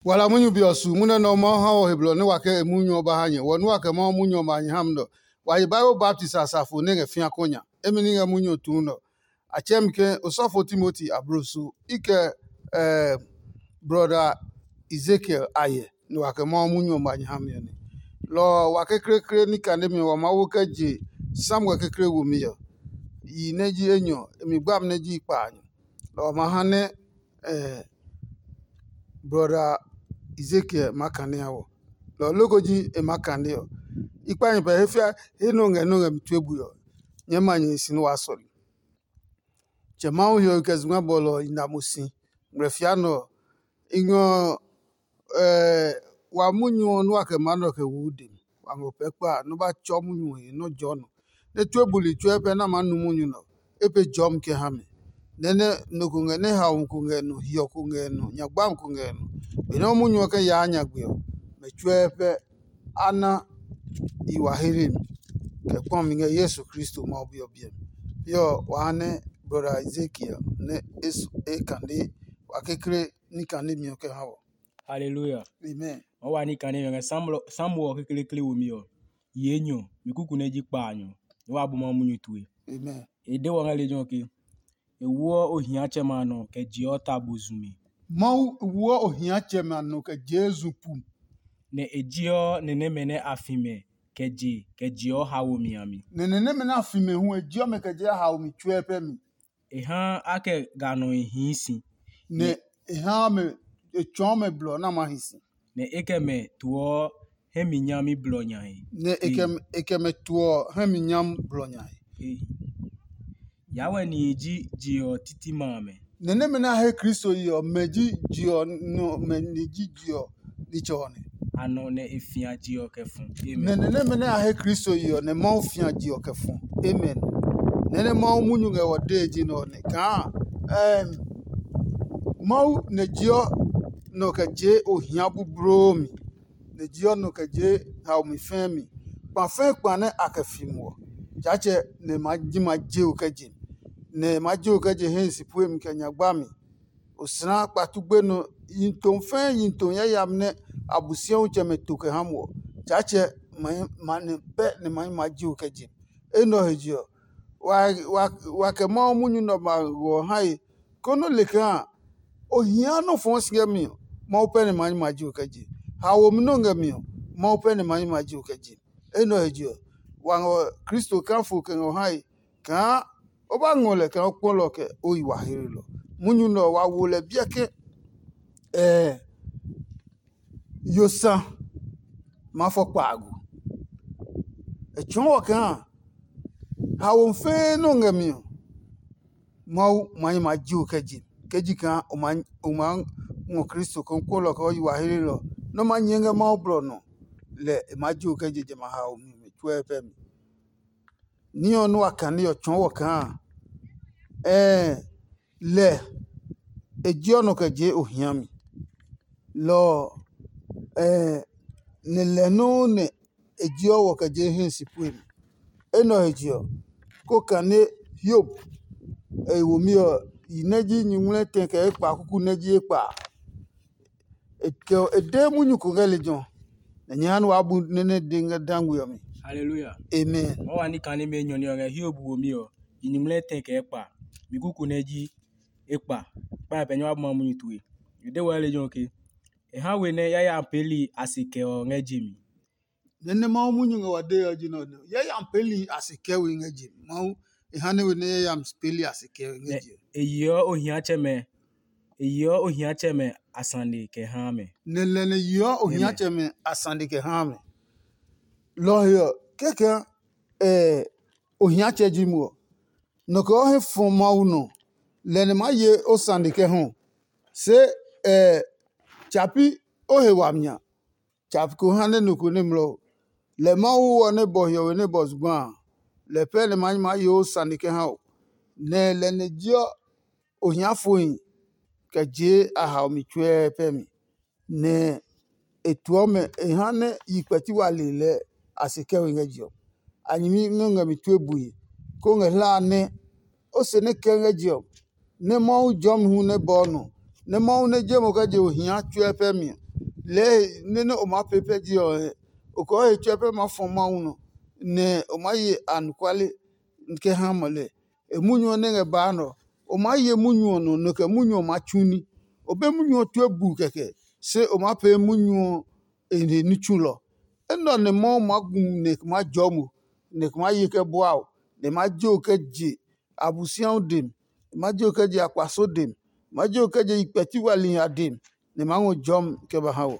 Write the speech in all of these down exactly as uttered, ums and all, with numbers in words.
Wala munyu be ɔ su munyu nɛ Mawu ha wɔ he blɔ nɛ wa kɛ e munyu ɔ ba ha nyɛ. Wɔ nua kɛ Mawu munyu ɔmɛ a nyɛ ha mi nɛ ɔ, wa ye Bible baptist asafo nɛ ngɛ fĩa kɔ nya. Emi ní ngɛ munyu ɔ tuu nɛ ɔ. A tsɛɛ mi ke osɔfo Timoti abloso i kɛ eh, brɔda Ezekiel a hyɛ nɛ wa kɛ Mawu munyu ɔmɛ a nyɛ ha mi ɔ nɛ. Lɔ ɔ, wa kekleekle ní kanemi ɔ, wa maa wo kɛ je Samuel kekle womi ɔ, yi nɛ ji enyɔ, e mi gbami nɛ ji kpaanyɔ. Lɔ ɔ ma ha nɛ eh, brɔda Ezekiel maa kanea wɔ. Lɔ ɔ loko ji e maa kane ɔ. I kpa nyɛ pɛ he fia he nɔ ngɛ nɔ ngɛ mi tue bui ɔ, nyɛɛ ma nyɛ hi si nɛ waa sɔle. Tsɛ Mawu hiɔwe kɛ zugba bɔlɔ ɔ i na mo si. Ngmlɛ fia nɛ ɔ, i ngɔ ɔ, wa munyu ɔ nua kɛ maa nɛ ɔ kɛ wo de mi. Wa ngɔ pɛɛ kpa a, nɔ́ ba tsɔ munyu ɔ he nɔ́ jɔɔ nɔ, nɛ tue buli tsuɛ pɛ nɛ a maa nu munyu nɛ ɔ, e pe jɔmi kɛ ha mi. Nɛ nɛ nɔ ko ngɛ nɛ haomi ko ngɛ nɔ, hiɔ ko ngɛ nɔ, nyagbami ko ngɛ nɔ. Benɛ ɔ munyu ɔ kɛ yaa nyagbe ɔ, mɛ tsuɛ pɛ a na i wa hlemi, kɛ kpɔmi ngɛ Yesu Kristo Mawu Bi ɔ biɛ mi. Pi ɔ, wa ha nɛ brɔda Ezekiel nɛ e kane wa kekle ní kanemi ɔ kɛ ha wɔ. Haleluya. Amen. Ɔ wa ní kane ɔ ngɛ Samuel ɔ kekleekle womi ɔ, yi enyɔ, mi kuku nɛ ji kpaanyɔ, nɛ wa bu Mawu munyu tue. Amen. E de wɔ ngɛ lejɛ ɔ ke, e woɔ ohiatsɛmɛ a nɔ kɛ jeɔ ta bozumi. Mawu woɔ ohiatsɛmɛ a nɔ kɛ jeɔ zu pu. Nɛ e jeɔ ni nɛmɛ nɛ a fi mɛ kɛ je kɛ jeɔ haomi a mi. Nɛ ni nɛmɛ nɛ a fi mɛ hu e jeɔ mɛ kɛ jeɔ haomi tsuɛ pɛ mi. E haa a kɛ ga nɔ e hii si. Nɛ e haa mɛ e tsɔɔ mɛ blɔ nɛ a ma hi si. Nɛ e kɛ mɛ tuɔ hɛ mi nyami blɔ nya he. Nɛ e kɛ e kɛ mɛ tuɔ hɛ mi nyami blɔ nya he. Yawɛ nihi ji je ɔ titi ma amɛ. Nɛ nɛmɛ nɛ a he Kristo yi ɔ, mɛ ji je ɔ nɔ mɛ ni ji je ɔ nitsɛ ɔ nɛ. A nɔ nɛ e fia je ɔ kɛ fu. Nɛ Amen. Nɛ nɛmɛ nɛ a he Kristo yi ɔ, nɛ Mawu fia je ɔ kɛ fu. Amen. Nɛ nɛ Mawu munyu ngɛ wɔ dee ji nɛ ɔ nɛ kaa ɛɛm, Mawu nɛ jeɔ nɔ kɛ jee ohia bubloo mi, nɛ jeɔ nɔ kɛ jee haomi fɛɛ mi. Kpa fɛɛ kpa nɛ a kɛ fi muɔ, Tsaatsɛ nɛ ma ji ma je o kɛ je, nɛ ma je o kɛ je hɛ si puemi kɛ nyagba mi. Osla kpatu gbenɔ, yi tom fɛɛ yi tom yayami nɛ Abosiatsɛmɛ to kɛ ha muɔ. Tsaatsɛ ma nɛ pɛ nɛ ma ma ji o kɛ je. Enɛ ɔ he je ɔ, wa kɛ Mawu munyu nɛ ɔmɛ a ngɔ ɔ hae, konɛ le kaa o hia nɔ́ fɔɔ si ngɛ mi ɔ, Mawu pɛ nɛ ma ma ji o kɛ je. Haomi nɔ́ ngɛ mi ɔ, Mawu pɛ nɛ ma ma ji o kɛ je. Enɛ ɔ he je ɔ, wa ngɔ Kristo kafo kɛ ngɔ hae kaa o ba ngɔ lɛ kaa o kpɔ lɛ ɔ kɛ o yi wa hlelɔ. Munyu nɛ ɔ, wa wo lɛ biɛ ke ɛɛ yo sa ma fɔ kpaago. E tsɔɔ wɔ kaa haomi fɛɛ nɛ o ngɛ mi ɔ, Mawu ma nyi ma ji o kɛ je. Kɛ ji kaa o ma o ma ngɔ Kristo kaa o kpɔ lɛ ɔ kɛ o yi wa hlelɔ nɛ o ma nyɛ ngɛ Mawu blɔ nɔ, lɛ e maa ji o kɛ je jamɛ a haomi mi tsuɛ pɛ mi. Ní ɔ nɛ wa kane ɔ tsɔɔ wɔ kaa ɛɛ lɛ e jeɔ nɔ kɛ jee ohia mi. Lɔ ɔ ɛɛ nɛ lɛ nɔuu nɛ e jeɔ wɔ kɛ jee hii si pue mi. Enɛ ɔ he je ɔ, ko kane Hiob e womi ɔ yi nɛ ji nyuŋmlɛ tɛ kɛ ekpa kuku nɛ ji ekpa a. E kɛ e de munyu ko ngɛ lejɛ ɔ, nɛ nyɛ ha nɛ waa bu nɛ nɛ de ngɛ dangwe ɔ mi. Haleluya. Amen. Wa wa ní kane mɛ enyɔ ní ɔ ngɛ Hiob womi ɔ, yi nyuŋmlɛ tɛ kɛ ekpa, mi kuku nɛ ji ekpa, kpa pɛ nyɛ wa bu ma munyu tue. E de wɔ lejɛ ɔ ke, e ha we nɛ yayami peeli a se kɛ ɔ ngɛ je mi. Nɛ nɛ Mawu munyu ngɛ wa dee ɔ ji nɛ ɔ, yayami peeli a se kɛ we ngɛ je mi. Mawu e ha nɛ we nɛ yayami peeli a se kɛ we ngɛ je. E yeɔ ohiatsɛmɛ e yeɔ ohiatsɛmɛ a sane kɛ haa mɛ. Nɛ lɛ nɛ yeɔ ohiatsɛmɛ a sane kɛ haa mɛ. Lɔ ɔ he ɔ, kɛkɛ ohiatsɛ ji mo ɔ, nɔ kɛ o he fɔ Mawu nɔ, lɛ nɛ maa ye o sane kɛ hɔ. Se tsa pi o he wami a, tsa ko ha nɛ nɔ ko nɛ mlɔ o. Lɛ Mawu ɔ nɛ bɔ hiɔwe nɛ bɔ zugba a, lɛ pɛ nɛ maa ye o sane kɛ ha o. Nɛ lɛ nɛ jeɔ ohiafohi kɛ jee a haomi tsuɛ pɛ mi, nɛ e tuɔ mɛ e ha nɛ yi kpɛti wa le lɛ a se kɛ we ngɛ je ɔ. A nyɛmi nɛ ngɛ mi tue bue, kó ngɛ hla a nɛ o se nɛ kɛ ngɛ je ɔ, nɛ Mawu jɔmi hu nɛ bɔɔ nɔ, nɛ Mawu nɛ je mo kɛ je ohia tsuɛ pɛ mi ɔ, Lɛɛ he nɛ nɛ o maa pee pɛ je ɔ, o kɔɔ he tsuɛ pɛ maa fɔ Mawu nɔ, nɛ o maa ye anɔkuale kɛ ha mɔ lɛ. E munyu ɔ nɛ ngɛ baa nɛ ɔ, o maa ye munyu ɔ nɔ, nɔ kɛ munyu ɔ maa tsu ní. O be munyu ɔ tue buu kɛkɛ, se o maa pee munyu ɔ e he ní tsulɔ. Enɛ ɔ nɛ Mawu maa gu nɛ e maa jɔɔ mo, nɛ e maa ye kɛ bua o, nɛ e maa je o kɛ je Abosiamu dem, e maa je o kɛ je akpaso dem, e maa je o kɛ je yi kpɛti wali nya dem, nɛ e maa ngɔ jɔmi kɛ ba ha wɔ.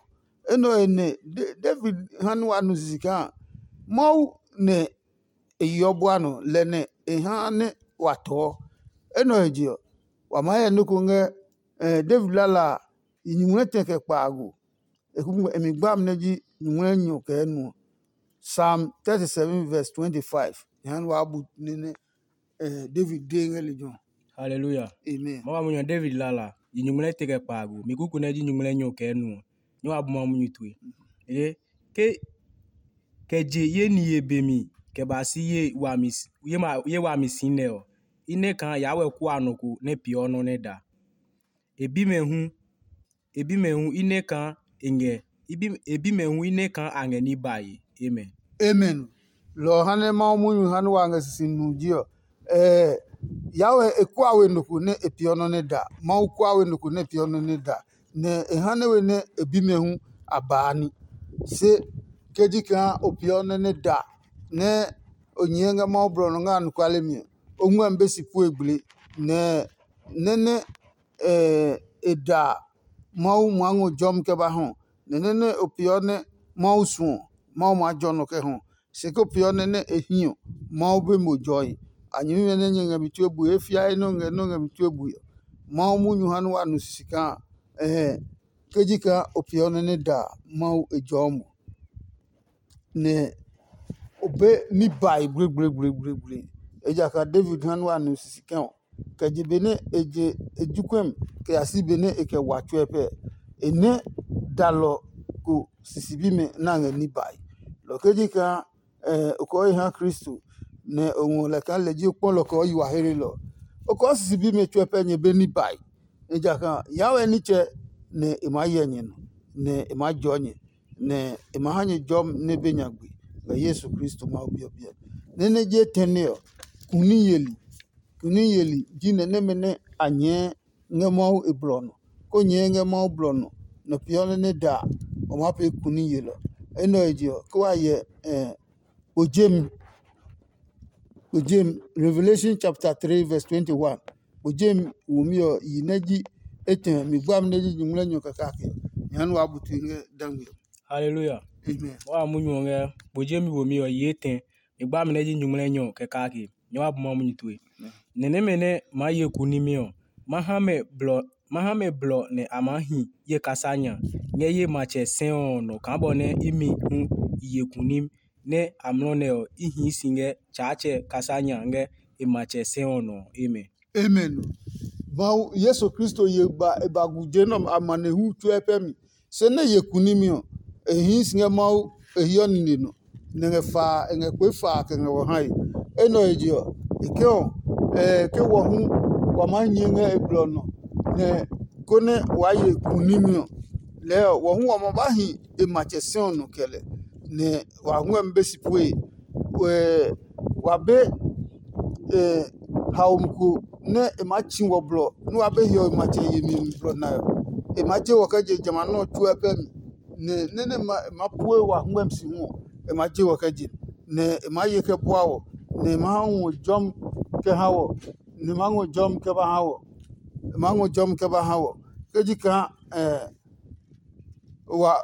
Enɛ ɔ he nɛ David ha nɛ wa nu sisi kaa Mawu nɛ e yeɔ bua nɔ, lɛ nɛ e ha nɛ wa tɔɔ. Enɛ ɔ he je ɔ, wa maa hyɛ nɔ́ ko ngɛ David lala a yi nyumu nɛ tɛ kɛ kpaago. E mi gba mi nɛ ji nyumu nɛ nyɔ kɛ enuɔ. Psalm thirty-seven verse twenty-five. Jehanɛ waa bu nɛ nɛ David de ngɛ lejɛ ɔ. Haleluya. Amen. Ma wa munyu ɔ David lala, yi nyumu nɛ te kɛ kpaago, mi kuku nɛ ji nyumu nɛ nyɔ kɛ enuɔ. Nyɛ wa bu ma munyu tue. Ee, ke kɛ je ye niye be mi kɛ ba si ye wami si nɛ ɔ, i nɛ kaa yaa wɛ kua nɔ ko nɛ peeɔ nɔ́ nɛ da. E bi mɛ hu e bi mɛ hu i nɛ kaa e ngɛ e bi mɛ hu i nɛ kaa a ngɛ ní bae. Amen. Amen. Lɔ ɔ ha nɛ Mawu munyu ha nɛ wa ngɛ sisi nu ji ɔ, ɛɛ Yahweh e kua we nɔ ko nɛ e peeɔ nɔ́ nɛ da. Mawu kua we nɔ ko nɛ e peeɔ nɔ́ nɛ da, nɛ e ha nɛ we nɛ e bi mɛ hu a baa ní. Se ke ji kaa o peeɔ nɔ́ nɛ da nɛ o nyɛɛ ngɛ Mawu blɔ nɔ ngɛ anɔkuale mi ɔ, o ngmɛmi be si pue gble, nɛ nɛ nɛ e da Mawu maa ngɔ jɔmi kɛ ba hɔ, nɛ nɛ nɛ o peeɔ nɛ Mawu suɔ, Mawu maa jɔ nɔ kɛ hɔ. Se ko peeɔ nɛ nɛ e hi ɔ, Mawu be mo jɔe. A nyɛmimɛ nɛ nyɛ ngɛ mi tue bue, e fia he nɛ o ngɛ nɛ o ngɛ mi tue bue ɔ, Mawu munyu ha nɛ wa nu sisi kaa, ɛhɛ, ke ji kaa o peeɔ nɛ nɛ da Mawu e jɔɔ mo. Nɛ o be ní bae gblegblegblegblegle. Ejakaa David ha nɛ wa nu sisi kɛ ɔ, kɛ je benɛ e je e jukwɛmi kɛ ya si benɛ e kɛ wa tsuɛ pɛ, e nɛ dalɔ ko sisi bimɛ nɛ a ngɛ ní bae. Lɔ ke ji kaa o kɔɔ he ha Kristo, nɛ o ngɔ lɛ kaa lɛ ji o kpɔlɔ kɔɔ yi wa hlelɔ, o kɔɔ sisi bimɛ tsuɛ pɛ nyɛ be ní bae. Ejakaa Yahweh nitsɛ nɛ e maa hyɛ nyɛ nɔ, nɛ e maa jɔɔ nyɛ, nɛ e ma ha nyɛ jɔmi nɛ be nyagbe ngɛ Yesu Kristo Mawu Bi ɔ biɛ. Nɛ nɛ je tɛne ɔ, kuni yeli. Kuni yeli ji nɛ nɛmɛ nɛ a nyɛɛ ngɛ Mawu e blɔ nɔ, ko nyɛɛ ngɛ Mawu blɔ nɔ, nɔ peeɔ nɛ nɛ da a, o maa pee kuni yelɔ. Enɛ ɔ he je ɔ, ke wa hyɛ kpo jemi, kpo jemi, Revelation chapter three verse twenty-one. Kpo jemi womi ɔ yi nɛ ji etɛ mi gbami nɛ ji nyuŋmlɛnyɔ kɛ kake ɔ, nyɛɛ nɛ waa bu tue ngɛ dangme ɔ. Haleluya. Amen. Wa munyu ɔ ngɛ kpo jemi womi ɔ yi etɛ mi gbami nɛ ji nyuŋmlɛnyɔ kɛ kake. Nyɛ wa bu ma munyu tue. Nɛ nɛmɛ nɛ maa ye kunimi ɔ, ma ha mɛ blɔ ma ha mɛ blɔ nɛ a maa hi ye kasa nya ngɛ ye matsɛ sɛɔ ɔ nɔ kaa bɔ nɛ imi hu i ye kunim nɛ amlɔ nɛ ɔ i hii si ngɛ Tsaatsɛ kasa nya ngɛ e matsɛ sɛɔ nɔ ɔ. Amen. Amen. Mawu Yesu Kristo ye ba e ba gu je nɛ ɔmɛ amanehlu tsuɛ pɛ mi. Se nɛ ye kunimi ɔ, e hii si ngɛ Mawu e hiɔ nine nɔ, nɛ ngɛ faa e ngɛ kpee faa kɛ ngɛ wɔ hae. Enɛ ɔ he je ɔ, e ke ɔ, ɛɛ ke wɔ hu wa maa nyɛɛ ngɛ e blɔ nɔ, nɛ konɛ waa ye kunimi ɔ, lɛɛ ɔ, wɔ hu wa ma ba hi e matsɛ sɛ ɔ nɔ kɛ lɛ, nɛ wa ngmɛmi be si pue. Wa be haomi ko nɛ e maa tsi wɔ blɔ nɛ wa be hiɔwe matsɛ yemi mi blɔ nae ɔ, e maa je wɔ kɛ je jamɛ a nɔ́ ɔ tsuɛ pɛ mi. Nɛ nɛ nɛ e ma pue wa hwɛmi si hu ɔ, e maa je wɔ kɛ je, nɛ e maa ye kɛ bua wɔ, nɛ e maa ha ngɔ jɔmi kɛ ha wɔ, nɛ e maa ngɔ jɔmi kɛ ba ha wɔ. E maa ngɔ jɔmi kɛ ba ha wɔ. Ke ji kaa wa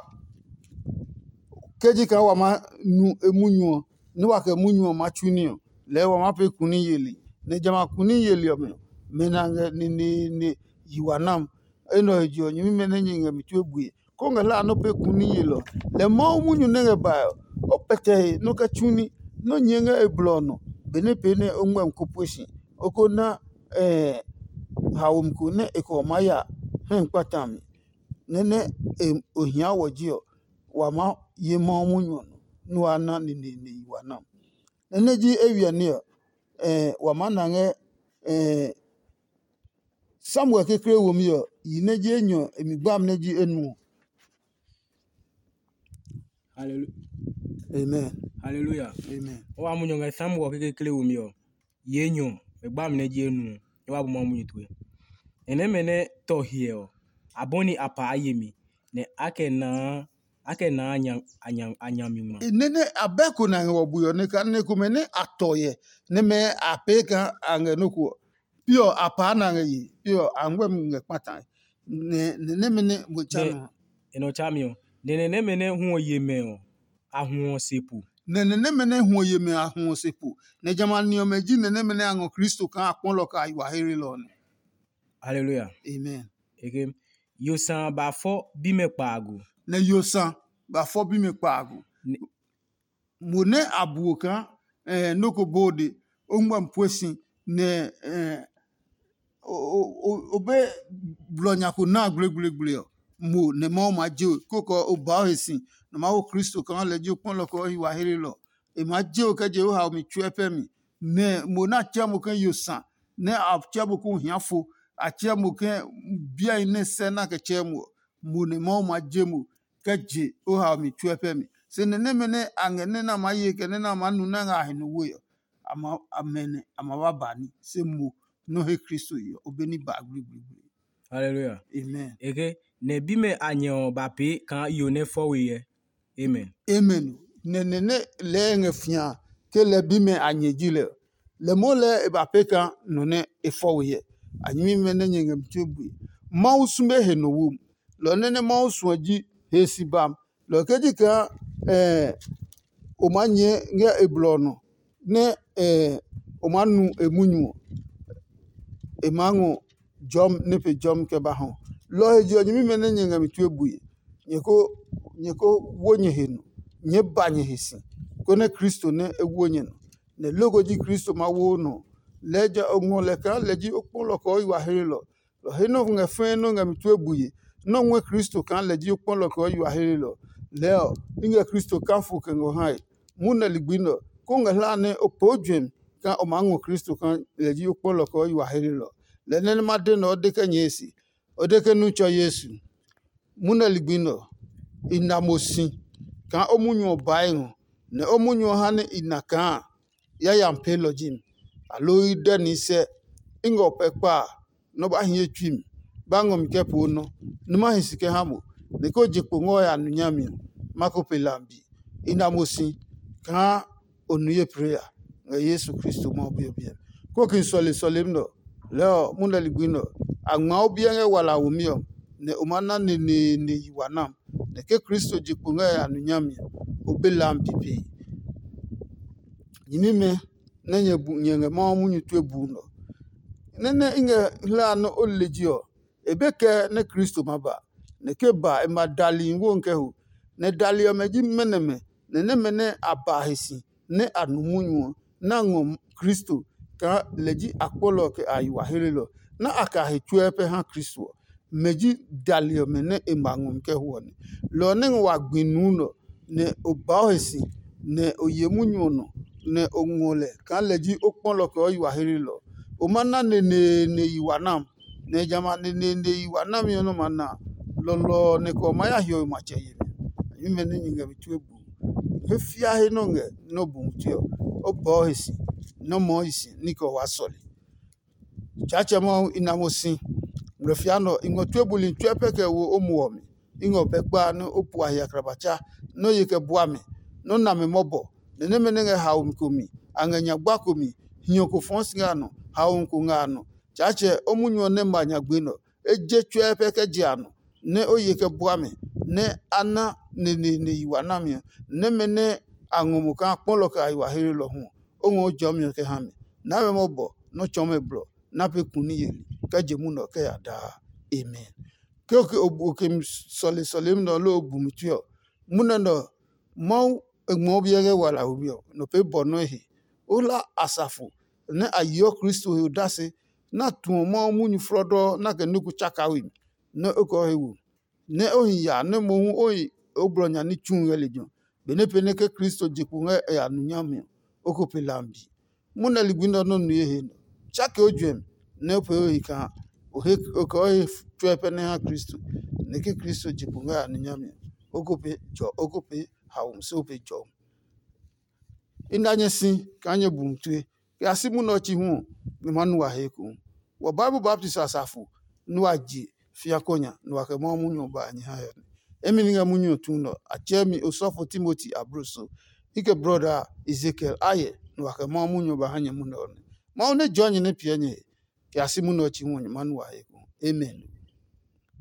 ke ji kaa wa maa nu emunyu ɔ, nɛ wa kɛ munyu ɔ maa tsu ní ɔ, lɛɛ wa maa pee kuni yeli. Nɛ jamɛ a kuni yeli ɔmɛ ɔ, mɛ nɛ a ngɛ neneene yi wa nam. Enɛ ɔ he je ɔ, nyɛmimɛ nɛ nyɛ ngɛ mi tue bue, kó ngɛ hlaa nɔ́ pee kuni yelɔ. Lɛ Mawu munyu nɛ ngɛ bae ɔ, o pɛtɛ he nɔ́ kɛ tsu ní, nɔ́ nyɛɛ ngɛ e blɔ ɔ nɔ, benɛ pee nɛ o ngmɛmi ko pue si. O ko na haomi ko nɛ e kɛ ɔ maa ya hɛ kpata mi. Nɛ nɛ o hia wɔ ji ɔ, wa maa ye Mawu munyu ɔ nɔ, nɛ waa na neneene yi wa nam. Nɛ nɛ ji eywiɛ ní ɔ, wa maa na ngɛ Samuel kekle womi ɔ, yi nɛ ji enyɔ e mi gbami nɛ ji enuɔ. Hallelujah. Amen. Hallelujah. Amen. O wa munyu ngɛ Samuel kekekle wo mi ɔ. Ye nyɔ, e gba mi nɛ ji enu. E wa bu ma munyu tue. Enɛ mɛ nɛ tɔ hiɛ ɔ, abɔni a pa a yemi, nɛ a kɛ naa a kɛ naa a nya a nya a nya mi ngma. Nene abɛ ko na ngɛ wɔ bui ɔ ne ka ne komɛ ne a tɔ yɛ ne mɛ a pee ka a ngɛ nɔ ko. Piɔ a paa na ngɛ ye, piɔ a ngwɛ mi ngɛ kpata. Ne ne ne mɛ ne mo cha no. E nɔ cha mi ɔ. Ne ne ne mɛ ne hu ɔ ye mɛ ɔ, a hu ɔ se pu. Ne ne ne mɛ ne hu ɔ ye mɛ a hu ɔ se pu. Ne jamɛ a ni ɔmɛ ji ne ne mɛ ne a ngɔ Kristo kaa a kpɔlɔ ka a yi wa here lɔ ne. Hallelujah. Amen. Eke, yo sa ba fɔ bimɛ kpaagu. Nɛ yo sa ba fɔ bimɛ kpaagu. Mo nɛ a buo kaa nɔ́ ko bode o ngma pue si nɛ o be blɔ nya ko na gblegbleegble ɔ, mo nɛ Mawu maa je we, kókɔ o baa o he si nɛ o maa wo Kristo kaa lɛ ji o kpɔlɔ kɛ o yi wa hlelɔ. E maa je we kɛ je o haomi tsuɛ pɛ mi. Nɛ mo nɛ a tsɛ mo ke yo sa, nɛ a tsɛ mo ke o hia fo, a tsɛ mo ke biae nɛ sɛ na kɛ tsɛ mo ɔ, mo nɛ Mawu maa je mo kɛ je o haomi tsuɛ pɛ mi. Se nɛ nɛmɛ nɛ a ngɛ nɛ nɛ a maa ye kɛ nɛ nɛ a maa nu nɛ a ngɛ a he nɔ we ɔ, a ma a mɛ nɛ a ma ba ba ní. Se mo nɔ́ he Kristo ye ɔ, o be ní ba gbligbligble. Hallelujah. Amen. Eke, nɛ bimɛ a nyɛ ɔ ba pee kaa yo nɛ fɔ we yɛ. Amen. Amen. Nɛ nɛ nɛ lɛɛ ngɛ fia ke lɛ bimɛ a nyɛ ji lɛ ɔ, lɛ moo lɛɛ e ba pee kaa nɔ nɛ e fɔ we yɛ. A nyɛmimɛ nɛ nyɛ ngɛ mi tue bue. Mawu sume he nɔ wo. Lɔ nɛ nɛ Mawu suɔ ji he si bam. Lɔ ke ji kaa o maa nyɛɛ ngɛ e blɔ ɔ nɔ nɛ o maa nu e munyu ɔ, e maa ngɔ jɔmi nɛ pe jɔmi kɛ ba hɔ. Lɔ ɔ he je ɔ, nyɛmimɛ nɛ nyɛ ngɛ mi tue bue, nyɛ ko nyɛ ko wo nyɛ he nɔ, nyɛɛ ba nyɛ he si, konɛ Kristo nɛ e wo nyɛ nɔ. Nɛ loko ji Kristo ma wo o nɔ. Lɛɛ ja o ngɔ lɛ kaa lɛ ji o kpɔlɔ kɛ o yi wa hlelɔ. Lɔ he nɔ ngɛ fɛɛ nɔ ngɛ mi tue bue, nɔ́ ngɔɛ Kristo kaa lɛ ji o kpɔlɔ kɛ o yi wa hlelɔ. Lɛɛ ɔ, i ngɛ Kristo kafo kɛ ngɔ hae. Mu nɛ ligbi nɛ ɔ, kó ngɛ hlaa nɛ o pee o juɛmi kaa o maa ngɔ Kristo kaa lɛ ji o kpɔlɔ kɛ o yi wa hlelɔ. Lɛ nɛ nɛ ma de nɛ ɔ de kɛ nyɛɛ se, o de ke nu tsɔ Yesu. Mu nɛ ligbi nɛ ɔ, i na mo si kaa o munyu ɔ baa e ngɔ, nɛ o munyu ɔ ha nɛ i na kaa yayami peelɔ ji mi, aloo i dɛ nihi sɛ i ngɛ o pɛ kpa a, nɛ o ba hie tsui mi, ba ngɔ mi kɛ poo nɔ́, nɛ ma hi si kɛ ha mo, nɛ ke o je kpo ngɛ o ya nu nyami ɔ, ma ko pe lambi. I na mo si kaa o nu ye pre ya ngɛ Yesu Kristo Mawu Bi ɔ biɛ mi. Kóki sɔle sɔlemi nɛ ɔ, lɛɛ ɔ, munɛ ligbi nɛ ɔ, a ngmaa o biɛ ngɛ wala womi ɔ, nɛ o maa na neneene yi wa nam, nɛ ke Kristo je kpo ngɛ a nu nyami ɔ, o be lambi pee. Nyɛmimɛ nɛ nyɛ bu nyɛ ngɛ Mawu munyu tue buu nɛ ɔ, nɛ nɛ i ngɛ hlaa nɛ o le ji ɔ, e be kɛ nɛ Kristo ma ba, nɛ ke ba e ma dali wo kɛ ho. Nɛ dali ɔmɛ ji mɛnɔmɛ, nɛ nɛmɛ nɛ a ba he si nɛ a nu munyu ɔ, nɛ a ngɔ Kristo kaa lɛ ji akpɔlɔ kɛ a yi wa helelɔ, nɛ a ka he tsuɛ pɛ ha Kristo ɔ. Mɛ ji dali ɔmɛ nɛ e ma ngɔ mi kɛ ho ɔ nɛ. Lɔ ɔ nɛ ngɛ wa gbi nuu nɛ ɔ, nɛ o baa o he si, nɛ o ye munyu ɔ nɔ, nɛ o ngɔ lɛ kaa lɛ ji o kpɔlɔ kɛ o yi wa helelɔ. O ma na neneene yi wa nam, nɛ jamɛ a neneene yi wa nami ɔ nɔ́ ma na a, lɔlɔ ɔ nɛ kɛ ɔ maa ya hiɔwe matsɛ yemi. Nyɛmimɛ nɛ nyɛ ngɛ mi tue bu. He fia he nɛ o ngɛ nɛ o bu mumi tue ɔ, o bɔɔ he si, nɛ o mɔɔ hi si ní kɛ o waa sɔle. Tsaatsɛ Mawu i na mo si. Ngmlɛfia nɛ ɔ, i ngɔ tue buli tsuɛ pɛ kɛ wo o muɔ ɔ mi. I ngɛ o pɛ kpa nɛ o pua hiɛ akrabatsa nɛ o ye kɛ bua mi, nɛ o na mi mɔbɔ. Nɛ nɛmɛ nɛ ngɛ haomi ko mi, a ngɛ nyagba ko mi, hiɔ ko fɔɔ si ngɛ a nɔ, haomi ko ngɛ a nɔ. Tsaatsɛ o munyu ɔ nɛ ma nyagbe nɛ ɔ, e je tsuɛ pɛ kɛ je a nɔ, nɛ o ye kɛ bua mi, nɛ a na neneene yi wa nami ɔ. Nɛmɛ nɛ a ngɔ mo kaa kpɔlɔ kɛ a yi wa heelɔ hu ɔ, o ngɔ o jɔmi ɔ kɛ ha mi. Na mɛ mɔbɔ nɛ o tsɔɔ mɛ blɔ, na pee ku ní yeli kɛ je munɛ ɔ kɛ ya daa. Amen. Ke o ke o bu o ke mi sɔle sɔlemi nɛ ɔ loo o bu mi tue ɔ, munɛ nɛ ɔ, Mawu e ngmɔ o biɛ ngɛ wala we ɔ, nɔ pee bɔ nɔ́ e he. O hla asafo nɛ a yeɔ Kristo he odase, nɛ a tuɔ Mawu munyu flɔdɔɔ nɛ a kɛ nɔ́ ko tsaka we mi, nɛ o kɛ o he wo, nɛ o hi ya nɛ mohu o hi o blɔ nya ní tsu ngɛ lejɛ ɔ. Benɛ pee nɛ ke Kristo je kpo ngɛ e ya nu nyami ɔ, o ko pe lambi. Munɛ ligbi nɛ ɔ nɔ́ nu ye he nɛ ɔ, tsake o juɛmi nɛ o pee o he kaa o he o kɛ o he tsuɛ pɛ nɛ ha Kristo, nɛ ke Kristo je kpo ngɛ a ní nyami ɔ, o ko pee jɔ o ko pee haomi se o pe jɔmi. I na nyɛ si kaa nyɛ bu mi tue. Kɛ a si munɛ ɔ chi hu ɔ, nyɛ ma nu wa he ekohu. Wɔ Bible baptist asafo nɛ wa je fĩa kɔ nya nɛ wa kɛ Mawu munyu ɔ ba a nyɛ ha hiɔ nɛ. Emi ni ngɛ munyu ɔ tu nɛ ɔ, a tsɛɛ mi osɔfo Timoti ablo so. I kɛ brɔda a, Ezekiel a hyɛ nɛ wa kɛ Mawu munyu ɔ ba ha nyɛ munɛ ɔ nɛ. Mawu nɛ jɔɔ nyɛ nɛ piɛ nyɛ he, kɛ a si munɛ ɔ chi hu ɔ, nyɛ ma nu wa he ekohu. Amen.